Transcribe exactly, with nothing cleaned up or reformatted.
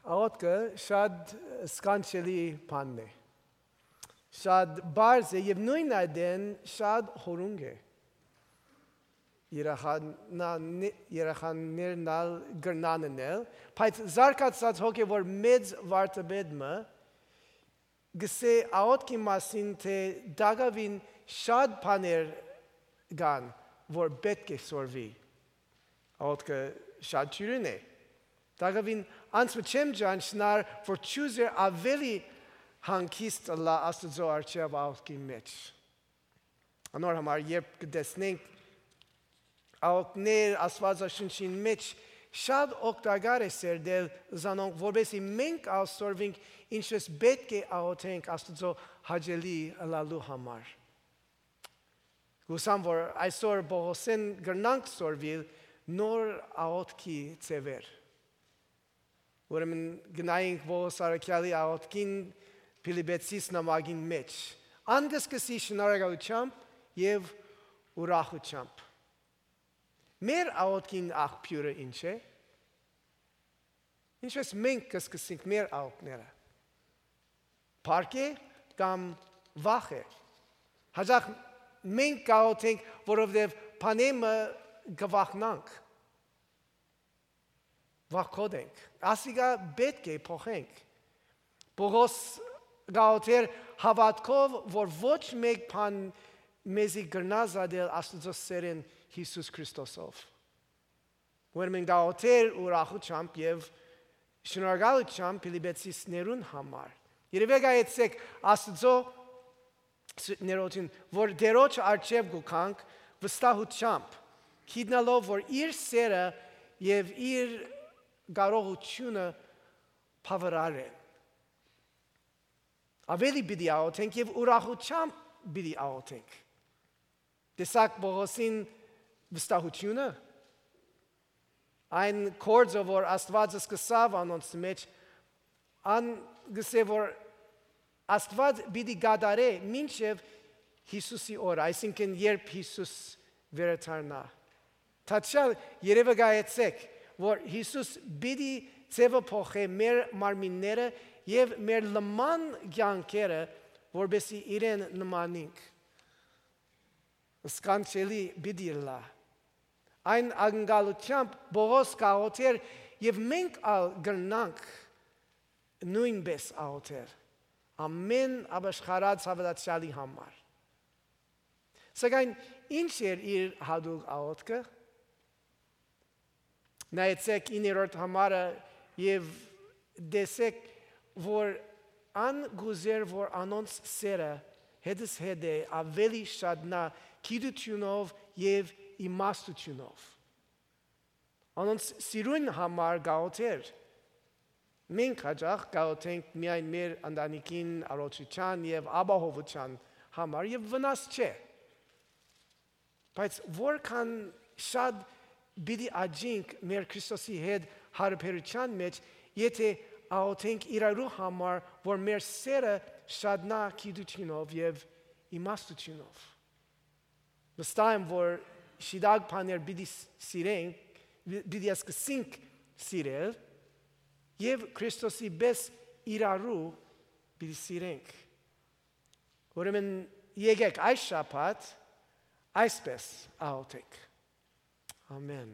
Աղոթքը շատ սքանչելի բան է։ Շատ բարձ է եւ նույն այդեն շատ հորունգ է։ Երեխաներն ալ գրնանն էլ, բայց զարգացած հոգևոր մեծ վարդապետը գսե աղոթքի մասին թե դակավին շատ բաներ կան, որ պետք է սորվի։ Աղոթքը շատ ճյուրին է։ Դակավին անցը չեմ ճանչնար, որ ճյուզեր ավելի հանգիստ լա Աստծո առջև աղոթքի մեջ։ Անոր համար երբ կտեսնենք աղոթքներ Աստվածաշնչին մեջ շատ օգտակար է սերդել զանոնք, որովհետեւ մենք ասորվենք ինչպես պետք է աղոթենք Աստծո հաճելի լալու համար։ Գուսամ որ այսօր Պողոսեն գրնանք սորվիլ նոր աղոթքի ծևեր։ Ուրեմն գնայինք Պողոս Արաքյալի աղոթքին Փիլիպպեցիս նամակին մեջ։ Անգսկսի շնորհակալությամբ եւ ուրախությամբ։ Մեր աղոթքին աղբյուրը ինչ է։ Ինչպես մենք կսկսենք մեր աղոթքները։ Փառք է կամ վախ է։ Հաջող մենք կաղոթենք, որովհետև բանեմը գվախնանք։ Վախկոդենք։ Ասիկա պետք է փոխենք։ Պողոս գաղոթեր հավատքով, որ ոչ մեկ բան մեզի գրնա զադել Աստծո սերն Հիսուս Քրիստոսով։ Ուրեմն գաղոթեր ուրախությամբ եւ շնորհակալությամբ Փիլիպպեցիներուն համար։ Երևի գայեցեք Աստծո ներողություն, որ դերոջ արչև գուքանք վստահությամբ, գիտնալով, որ իր սերը եւ իր կարողությունը բավարար է։ Ավելի պիտի աղոթենք եւ ուրախությամբ պիտի աղոթենք։ Տեսակ Պողոսին վստահությունը այն կորձը, որ Աստված սկսավ անոնց մեջ, ան գսե որ Աստված պիտի գադարե մինչև Հիսուսի օրը, այսինքն երբ Հիսուս վերադառնա։ Թաչալ երևի գայեցեք, որ Հիսուս պիտի ծևը փոխե մեր մարմինները եւ մեր լման կյանքերը, որբեսի իրեն նմանենք։ Սքանչելի պիտի լա։ Այն անգալությամբ Պողոս կաղոթեր եւ մենք ալ գրնանք նույնպես աղոթեր։ Ամեն ապաշխարած հավատացյալի համար։ Սակայն ինչ էր իր հատուկ աղոթքը։ Նայեցեք իններորդ համարը եւ դեսեք, որ ան գուզեր, որ անոնց սերը հետս հետ է ավելի շատնա գիտությունով եւ իմաստությունով։ Անոնց սիրուն համար գաղոթեր։ Մենք հաճախ գաղոթենք միայն մեր ընտանիքին առողջության եւ ապահովության համար եւ վնաս չէ։ Բայց որքան շատ պիտի աճենք մեր Քրիստոսի հետ հարաբերության մեջ, եթե աղոթենք իրարու համար, որ մեր սերը շատնա գիտությունով եւ իմաստությունով։ Վստահ եմ, որ շիդակ բաներ պիտի սիրենք, պիտի սկսենք սիրել եւ Քրիստոսի պես իրարու պիտի սիրենք։ Ուրեմն եկեք այս շաբաթ այսպես աղոթենք։ Ամեն։